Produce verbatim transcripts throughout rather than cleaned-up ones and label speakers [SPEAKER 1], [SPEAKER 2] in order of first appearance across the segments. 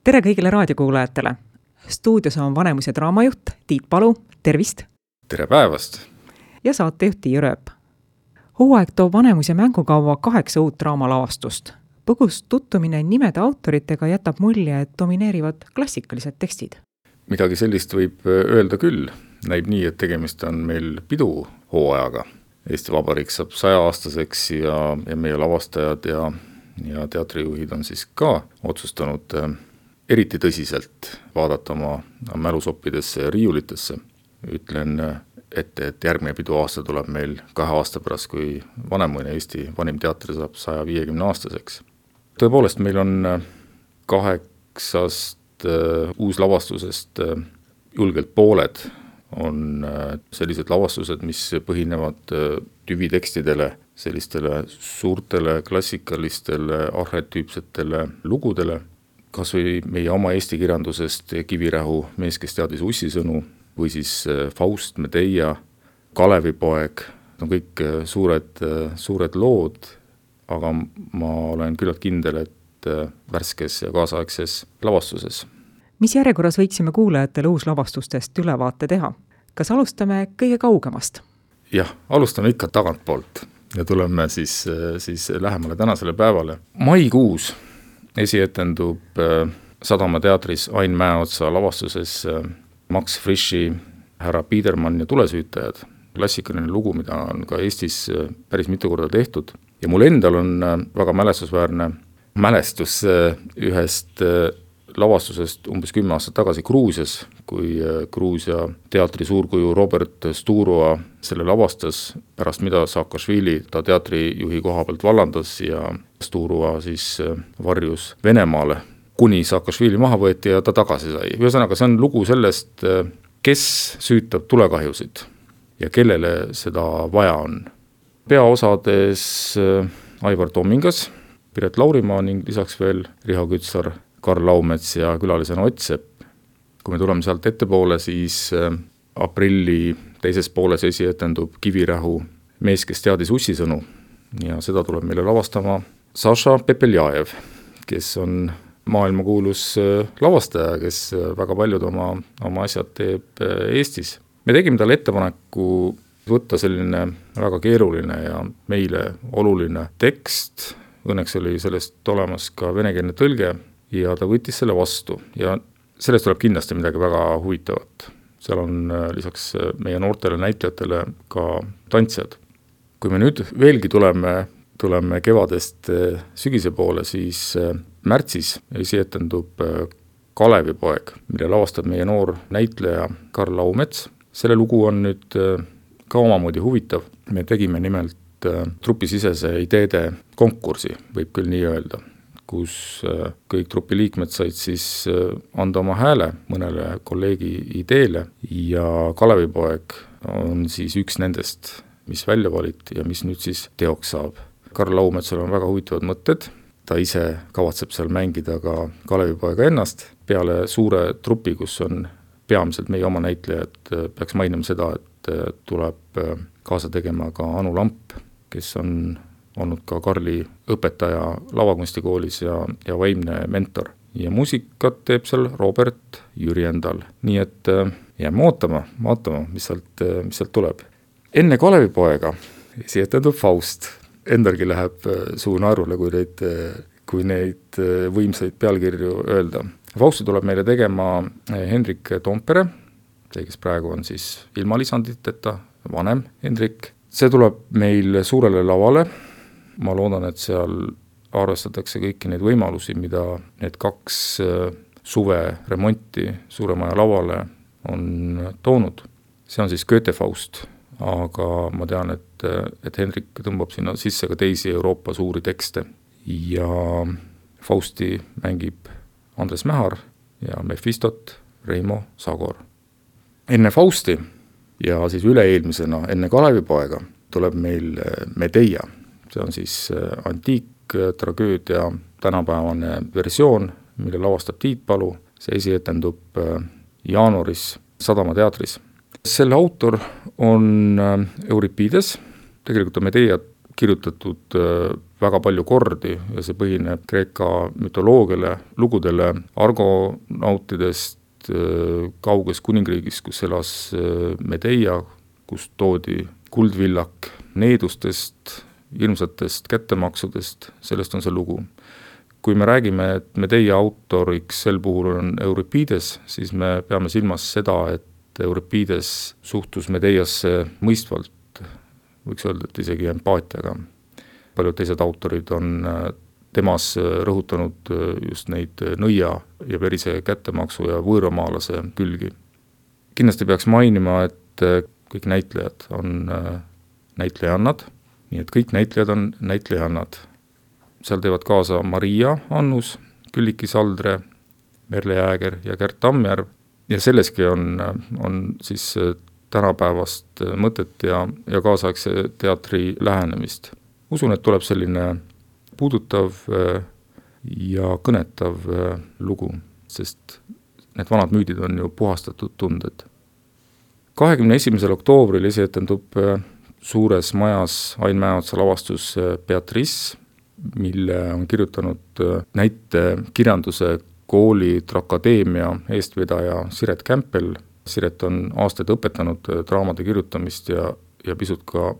[SPEAKER 1] tere kõigile raadiokuulajatele! Stuudios on Vanemuise draamajuht Tiit Palu, tervist!
[SPEAKER 2] Tere päevast!
[SPEAKER 1] Ja saatejuht Tiia Rööp. Hooaeg toob Vanemuise mängukaua kaheksa uut draamalavastust. Põgus tuttumine nimede autoritega jätab mulje, et domineerivad klassikalised tekstid.
[SPEAKER 2] Midagi sellist võib öelda küll. Näib nii, et tegemist on meil pidu hooajaga. Eesti Vabariik saab sajaaastaseks ja, ja meie lavastajad ja, ja teatrijuhid on siis ka otsustanud eriti tõsiselt vaadata oma mälusoppidesse ja riiulitesse. Ütlen ette, et järgmine pidu aasta tuleb meil kahe aasta pärast, kui Vanemuine Eesti vanim teatri saab saja viiekümne aastaseks. Tõepoolest, meil on kaheksast uh, uuslavastusest uh, julgelt pooled on uh, sellised lavastused, mis põhinevad uh, tüvitekstidele, sellistele suurtele klassikalistele arhetüüpsetele lugudele, kas või meie oma eesti kirjandusest Kivirähu Mees, kes teadis ussisõnu, või siis Faust, Medea, Kalevipoeg, on kõik suured, suured lood, aga ma olen küllalt kindel, et värskes ja kaasaegses lavastuses.
[SPEAKER 1] Mis järjekorras võiksime kuulajatele uuslavastustest ülevaate teha? Kas alustame kõige kaugemast?
[SPEAKER 2] Jah, alustame ikka tagantpoolt ja tuleme siis, siis lähemale tänasele päevale. Maikuus esietendub Sadama teatris Ain Mäeotsa lavastuses Max Friši Härra Biedermann ja tulesüütajad. Klassikaline lugu, mida on ka Eestis päris mitu korda tehtud. Ja mul endal on väga mälestusväärne mälestus ühest lavastusest umbes kümme aastat tagasi Gruusias, kui Gruusia teatri suurkuju Robert Sturoa selle lavastas, pärast mida Saakašvili ta teatrijuhi koha pealt vallandas ja Sturoa siis varjus Venemaale, kuni Saakašvili maha võeti ja ta tagasi sai. Ühesõnaga, see on lugu sellest, kes süütab tulekahjusid ja kellele seda vaja on. Peaosades Aivar Tomingas, Piret Laurimaa ning lisaks veel Riho Kütsar, Karl Laumets ja külalisena Ott Sepp. Kui me tuleme sealt ettepoole, siis aprilli teises pooles esietendub Kivirähu Mees, kes teadis ussisõnu ja seda tuleb meile lavastama Saša Pepeljajev, kes on maailmakuulus lavastaja, kes väga paljud oma, oma asjad teeb Eestis. Me tegime talle ettepaneku võtta selline väga keeruline ja meile oluline tekst. Õnneks oli sellest olemas ka venekeelne tõlge ja ta võttis selle vastu. Ja sellest tuleb kindlasti midagi väga huvitavat. Seal on lisaks meie noortele näitlejatele ka tantsijad. Kui me nüüd veelgi tuleme, tuleme kevadest sügise poole, siis märtsis esietendub Kalevipoeg, mille lavastab meie noor näitleja Karl Laumets. Selle lugu on nüüd ka omamoodi huvitav. Me tegime nimelt trupisisese ideede konkursi, võib küll nii öelda, kus kõik trupi liikmed said siis anda oma hääle mõnele kolleegi ideele ja Kalevipoeg on siis üks nendest, mis välja valiti ja mis nüüd siis teoks saab. Karl Laumetsal on väga huvitavad mõtted. Ta ise kavatseb seal mängida ka Kalevipoega ennast. Peale suure trupi, kus on peamiselt meie oma näitlejad, peaks mainima seda, et tuleb kaasa tegema ka Anu Lamp, kes on olnud ka Karli õpetaja lavakunstikoolis ja, ja vaimne mentor. Ja muusikat teeb seal Robert Jürjendal. Nii et jääme ootama, vaatama, mis sealt, mis sealt tuleb. Enne Kalevipoega esietendub Faust. Endalgi läheb suu naerule, kui neid, kui neid võimsaid pealkirju öelda. Fausti tuleb meile tegema Hendrik Toompere, see, kes praegu on siis ilma lisanditeta, vanem Hendrik. See tuleb meil suurele lavale. Ma loodan, et seal arvestatakse kõiki neid võimalusi, mida need kaks suve remonti Suuremaja lavale on toonud. See on siis Goethe Faust. Aga ma tean, et, et Hendrik tõmbab sinna sisse ka teisi Euroopa suuri tekste ja Fausti mängib Andres Mähar ja Mephistot Reimo Sagor. Enne Fausti ja siis üle-eelmisena enne Kalevipoega tuleb meil Medea. See on siis antiiktragöödia tänapäevane versioon, mille lavastab Tiit Palu. See esietendub jaanuaris Sadama teatris. Selle autor on Euripides, tegelikult on Medea kirjutatud väga palju kordi ja see põhineb Kreeka mütoloogiale, lugudele argonautidest kauges kuningriigis, kus elas Medeia, kus toodi kuldvillak needustest, hirmsatest kättemaksudest, sellest on see lugu. Kui me räägime, et Medeia autoriks sel puhul on Euripides, siis me peame silmas seda, et Euripides suhtus Medeiasse mõistvalt, võiks öelda, et isegi empaatiaga. Paljud teised autorid on temas rõhutanud just neid nõia ja verise kättemaksu ja võõramaalase külgi. Kindlasti peaks mainima, et kõik näitlejad on näitlejannad, nii et kõik näitlejad on näitlejannad. Seal teevad kaasa Maria Annus, Külliki Saldre, Merle Jääger ja Gert Tammjärv ja selleski on, on siis tänapäevast mõtet ja, ja kaasaegse teatri lähenemist. Usun, et tuleb selline puudutav ja kõnetav lugu, sest need vanad müüdid on ju puhastatud tunded. kahekümne esimesel oktoobril esietendub suures majas Ain Mäeotsa lavastus Beatrice, mille on kirjutanud näitekirjanduse kooli Trakadeemia eestvedaja Siret Kämpel. Siret on aastaid õpetanud draamade kirjutamist ja, ja pisut ka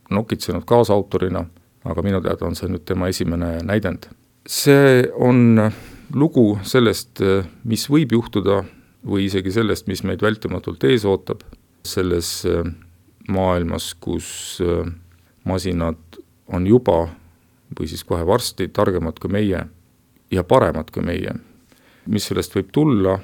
[SPEAKER 2] nokitsenud kaasautorina, aga minu teada on see nüüd tema esimene näidend. See on lugu sellest, mis võib juhtuda või isegi sellest, mis meid vältimatult ees ootab selles maailmas, kus masinad on juba või siis kohe varsti targemad kui meie ja paremad kui meie. Mis sellest võib tulla,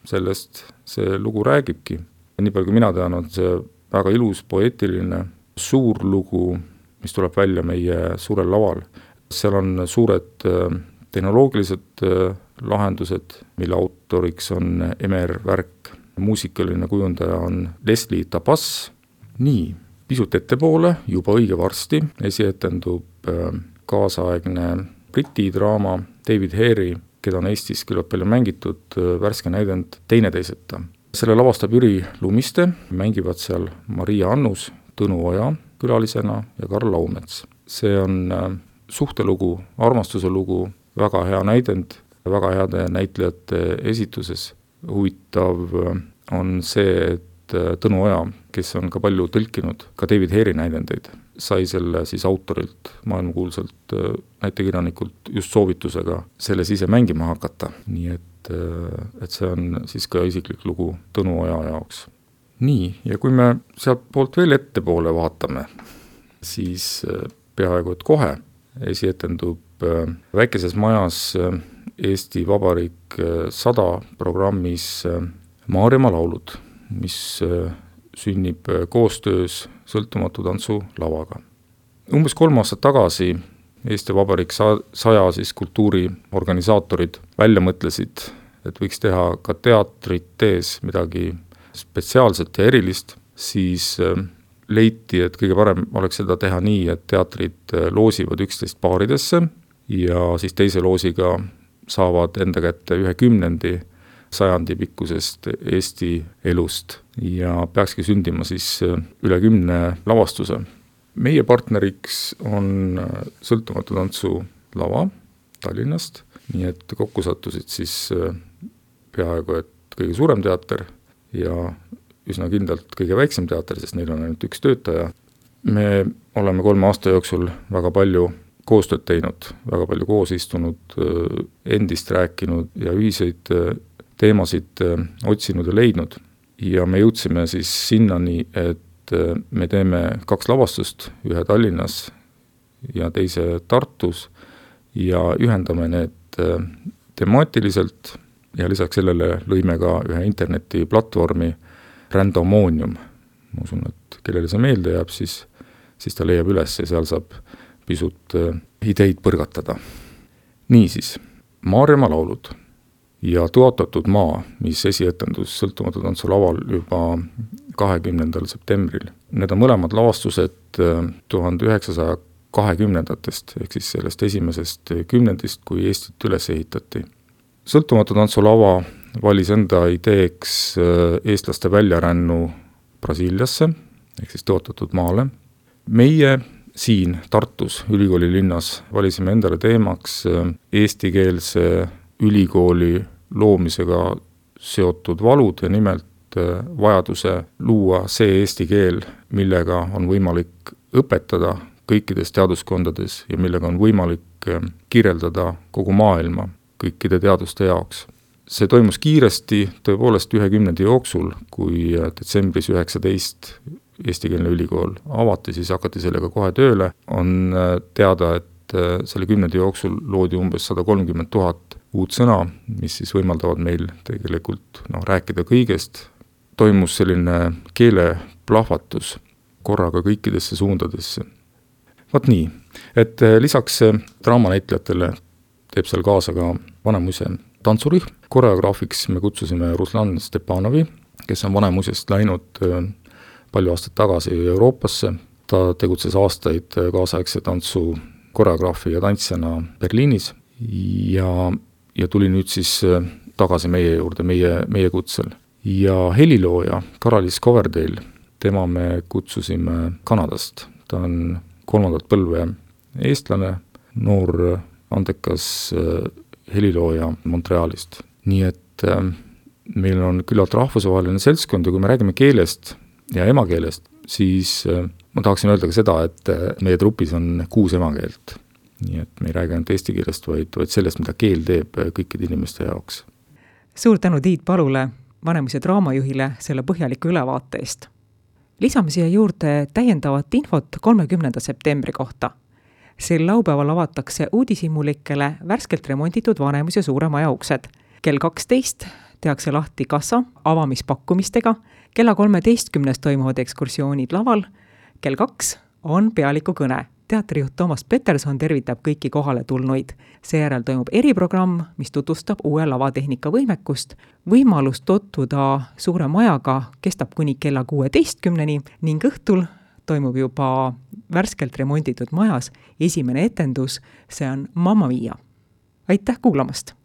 [SPEAKER 2] sellest see lugu räägibki. Nii palju kui mina tean, on see väga ilus, poeetiline, suur lugu, mis tuleb välja meie suurel laval. Seal on suured tehnoloogilised lahendused, mille autoriks on Emer Värk. Muusikaline kujundaja on Leslie Tabas. Nii, pisut ettepoole, juba õige varsti, esietendub kaasaegne briti draama David Hare'i, keda on Eestis küllalt palju mängitud, värske näidend Teineteiseta. Selle lavastab Jüri Lumiste, mängivad seal Maria Annus, Tõnu Oja külalisena ja Karl Laumets. See on suhtelugu, armastuse lugu, väga hea näidend, väga heade näitlejate esituses. Huvitav on see, et Tõnu Oja, kes on ka palju tõlkinud ka David Hare'i näidendeid, sai selle siis autorilt, maailmakuulsalt näitekirjanikult just soovitusega selles ise mängima hakata. Nii et, et see on siis ka isiklik lugu Tõnu Oja jaoks. Nii, ja kui me sealt poolt veel ettepoole vaatame, siis peaaegu et kohe esietendub väikeses majas Eesti Vabariik sada programmis Maarjamaa laulud, mis sünnib koostöös Sõltumatu tantsu lavaga. Umbes kolm aastat tagasi Eesti Vabariik saja siis kultuuriorganisaatorid välja mõtlesid, et võiks teha ka teatrit tees midagi spetsiaalset ja erilist, siis leiti, et kõige parem oleks seda teha nii, et teatrid loosivad üksteist paaridesse ja siis teise loosiga saavad enda kätte ühe kümnendi sajandi pikkusest Eesti elust ja peakski sündima siis üle kümne lavastuse. Meie partneriks on Sõltumatu tantsu lava Tallinnast, nii et kokku sattusid siis peaaegu et kõige suurem teater ja üsna kindlalt kõige väiksem teater, sest neil on ainult üks töötaja. Me oleme kolme aasta jooksul väga palju koostööd teinud, väga palju koos istunud, endist rääkinud ja ühiseid teemasid otsinud ja leidnud. Ja me jõudsime siis sinnani, et me teeme kaks lavastust, ühe Tallinnas ja teise Tartus ja ühendame need temaatiliselt ja lisaks sellele lõime ka ühe internetiplatvormi Randomonium. Ma usun, et kellele see meelde jääb, siis, siis ta leiab üles ja seal saab pisut ideid põrgatada. Niisiis, Maarjamaa laulud ja Tõotatud maa, mis esietendus Sõltumatu tantsu laval juba kahekümnendal septembril. Need on mõlemad lavastused tuhande üheksasaja kahekümnendatest, ehk siis sellest esimesest kümnendist, kui Eestit üles ehitati. Sõltumatu tantsu lava valis enda ideeks eestlaste väljarännu Brasiiliasse, ehk siis Tõotatud maale. Meie siin Tartus, ülikooli linnas, valisime endale teemaks eestikeelse ülikooli loomisega seotud valud ja nimelt vajaduse luua see eesti keel, millega on võimalik õpetada kõikides teaduskondades ja millega on võimalik kirjeldada kogu maailma kõikide teaduste jaoks. See toimus kiiresti, tõepoolest ühe kümnendi jooksul, kui detsembris üheksateist eestikeelne ülikool avati, siis hakati sellega kohe tööle. On teada, et selle kümnendi jooksul loodi umbes sada kolmkümmend tuhat uut sõna, mis siis võimaldavad meil tegelikult no, rääkida kõigest. Toimus selline keeleplahvatus korraga kõikidesse suundadesse. Vot nii, et lisaks draamanäitlejatele teeb seal kaasa ka Vanemuise tantsurühm. Koreograafiks me kutsusime Ruslan Stepanovi, kes on Vanemuisest läinud palju aastaid tagasi Euroopasse. Ta tegutses aastaid kaasaegse tantsu koreograafi ja tantsijana Berliinis ja, ja tuli nüüd siis tagasi meie juurde, meie, meie kutsel. Ja helilooja Karalis Coverdale, tema me kutsusime Kanadast. Ta on kolmandat põlve eestlane, noor andekas helilooja Montrealist. Nii et meil on küllalt rahvusvaheline seltskond ja kui me räägime keelest ja emakeelest, siis ma tahaksin öelda ka seda, et meie trupis on kuus emakeelt. Nii et me ei räägi ainult eesti keelest, vaid, vaid sellest, mida keel teeb kõikide inimeste jaoks.
[SPEAKER 1] Suur tänu Tiit Palule, Vanemuise draamajuhile, selle põhjaliku ülevaate eest. Lisame siia juurde täiendavat infot kolmekümnenda septembri kohta. Sel laupäeval avatakse uudishimulikele värskelt remonditud Vanemuise suure maja uksed. Kell kaksteist tehakse lahti kassa avamispakkumistega, kella kolmeteistkümnes toimuvad ekskursioonid laval, kell kaks on pealiku kõne. Teatrijuht Toomas Peterson tervitab kõiki kohale tulnuid. Seejärel toimub eriprogramm, mis tutvustab uue lavatehnika võimekust. Võimalus tutvuda suure majaga kestab kuni kella kuueteistkümneni ning õhtul toimub juba värskelt remonditud majas esimene etendus, see on Mamma Mia. Aitäh kuulamast!